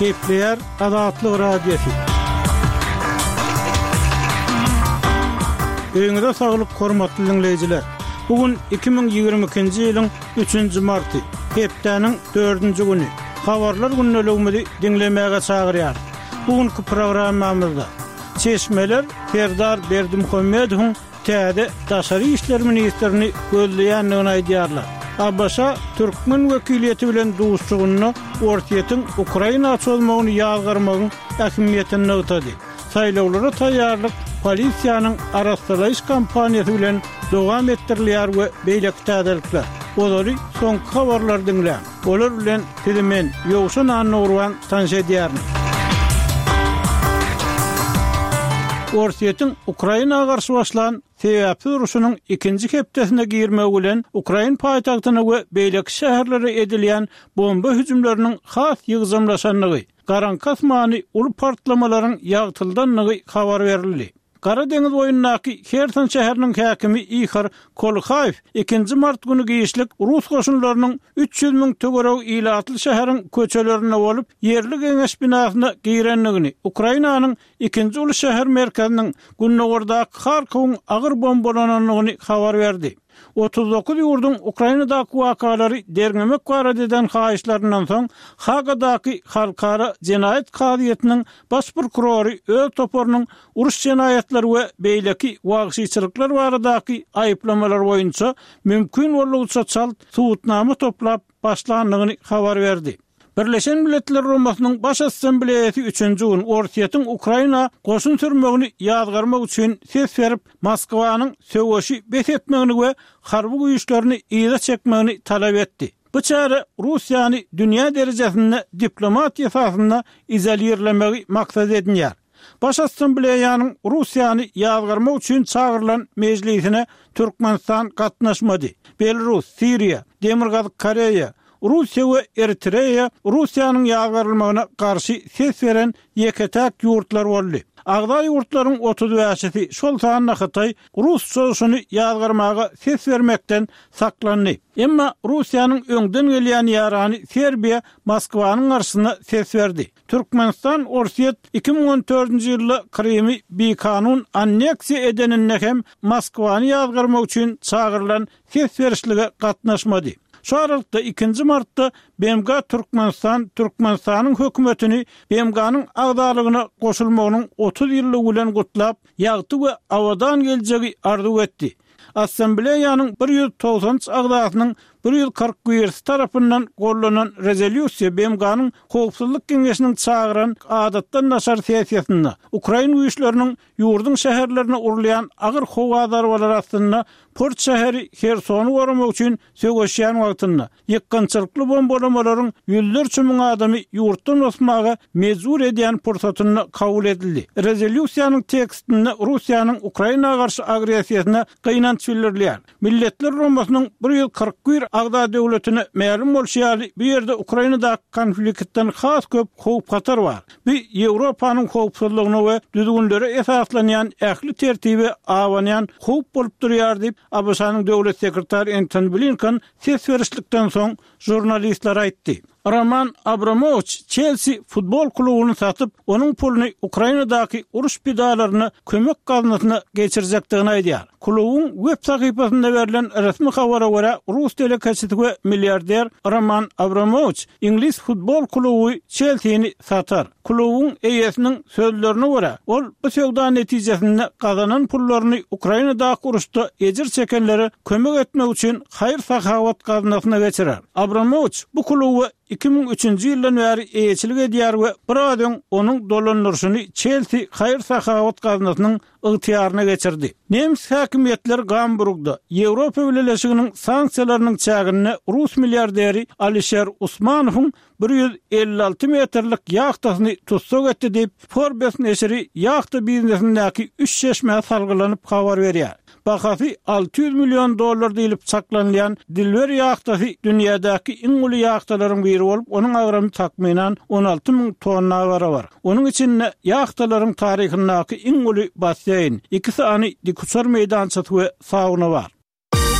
Gepleýär Azatlyk Radiosy. Öýüňize saglyk hormatly diňleýjiler. Bu gün 2022-nji ýylyň 3-nji marty, hepdäniň dördünji güni. Habarlar gündeligimizi diňlemäge çagyrýarys. Bu günki programmamyzda Çeşmeler Serdar Berdimuhamedowyň täze daşary işler ministrini gözleýändigini aýdýarlar. ABŞ türkmen wekiliýeti bilen duşuşygynda Orsýetiň Ukraina çozmagyny ýazgarmagyň ähmiýetini nygtady. Saýlawlara taýýarlyk polisiýanyň arassalaýyş kampaniýasy bilen dowam etdirilýär we beýleki täzelikler. Ozaly soňky habarlary diňläň. Olar bilen sizi men, Ýowşan Annagurban tanyş edýärin. Orsýetiň Ukraina garşy başlan sebäpsiz urşunyň ikinji hepdesine girmegi bilen ukrain paýtagtyna we beýleki şäherlere edilýän bomba hüjümleriniň has ýygjamlaşandygy, garaňky asmany uly partlamalaryň ýagtyldandygy habar berildi. Gara deňiz boýundaky Herson şäheriniň häkimi Ihor Kolhaýew ikinji mart güni giçlik rus goşunlarynyň 300 müň töweregi ilatly şäheriň köçelerinde bolup, ýerli geňeş binasyna girendigini, Ukrainanyň ikinji uly şäher merkeziniň gündogardaky Harkowyň agyr bombalanandygyny habar berdi. 39 ýurduň Ukrainadaky wakalary derňemek barada eden haýyşlaryndan soň, Hagadaky Halkara jenaýat kazyýetiniň baş prokurory öz toparynyň uruş jenaýatlary we beýleki wagşyçylyklar baradaky aýyplamalar boýunça mümkin boldugyça çalt subutnama toplap başlandygyny habar berdi. Birleşen Milletler Guramasynyň Baş Assambleýasy üçünji gün Orsýetiň Ukraina goşun sürmegini ýazgarmak üçin ses berip, Moskwanyň söweşi bes etmegini we harby güýçlerini yza çekmegini talap etdi. Bu çäre Russiýany dünýä derejesinde diplomatiýa esasynda izolirlemegi maksat edinýär. Baş Assambleýanyň Russiýany ýazgarmak üçin çagyrylan mejlisine Türkmenistan gatnaşmady. Belarus, Siriýa, Demirgazyk Koreýa, Russiýa we Eritreýa Russiýanyň ýazgarylmagyna garşy ses beren ýeke-täk ýurtlar boldy. Agza ýurtlaryň otuz bäşisi, şol sanda Hytaý, rus çozuşyny ýazgarmaga ses bermekden saklandy. Emma Russiýanyň öňden gelýän ýarany Serbiýa Moskwanyň garşysyna ses berdi. Türkmenistan Orsýet 2014-nji ýylda Krymy bikanun anneksiýa edeninde hem Moskwany ýazgarmak üçin çagyrylan ses berişlige gatnaşmady. Şu aralykda, ikinji martda BMG Türkmenistan Türkmenistanyň hökümetini BMG-niň agzalygyna goşulmagynyň 30 ýyllygy bilen gutlap, ýagty we abadan geljegi arzuw etdi. Assambleýanyň 193 agzasynyň 141-si tarapyndan gollanan rezolýusiýa BMG-niň Howpsuzlyk Geňeşiniň çagyran adatdan daşary sessiýasynda ukrain güýçleriniň ýurduň şäherlerine urulýan agyr howa zarbalary astynda port şäheri Hersony goramak üçin söweşýän wagtynda, ýykgynçylykly bombalamalaryň ýüzlerçe müň adamy ýurtdan bosmaga mejbur edýän pursatynda kabul edildi. Rezolýusiýanyň tekstinde Russiýanyň Ukraina garşy agressiýasyna gynanç bildirilýär. Milletler Guramasynyň 141 agza döwletine mälim bolşy ýaly, bu ýerde Ukrainadaky konfliktden has köp howp-hatar bar. Bu Ýewropanyň howpsuzlygyna we düzgünlere esaslanýan ähli tertibe abanýan howp bolup durýar diýip, ABŞ-nyň döwlet sekretary Entoni Blinken ses berişlikden soň žurnalistlere aýtdy. Roman Abramowiç Çelsi futbol klubuny satyp, onuň puluny Ukrainadaky uruş pidalaryna kömek gaznasyna geçirjekdigini aýdýar. Klubuň web sahypasynda berlen resmi habara görä, rus telekeçisi we milliarder Roman Abramowiç iňlis futbol kluby Çelsini satar. Klubuň eýesiniň sözlerine görä, ol bu söwda netijesinde gazanan pullaryny Ukrainadaky uruşda ejir çekenlere kömek etmek üçin haýyr-sahawat gaznasyna geçirer. Abramowiç bu kluba 2003-nji ýyldan bäri eýeçilik edýär we biraz öň onuň dolandyryşyny Çelsi haýyr-sahawat gaznasynyň ygtyýaryna geçirdi. Nemes häkimiýetleri Gamburgda, Ýewropa Bileleşiginiň sanksiýalarynyň çäginde rus milliarderi Alişer Usmanowyň 156 metrlik ýahtasyny tussag etdi diýip, Forbes neşiri ýahta biznesindäki üç çeşmä salgylanyp habar berýär. Bahasy 600 million dollar diýlip çaklanylýan Dilber ýahtasy dünýädäki iň uly ýahtalaryň biri bolup, onuň agramy takmynan 16 müň tonna barabar. Onuň içinde ýahtalaryň taryhyndaky iň uly basseýn, iki sany dikuçar meýdançasy we sauna bar.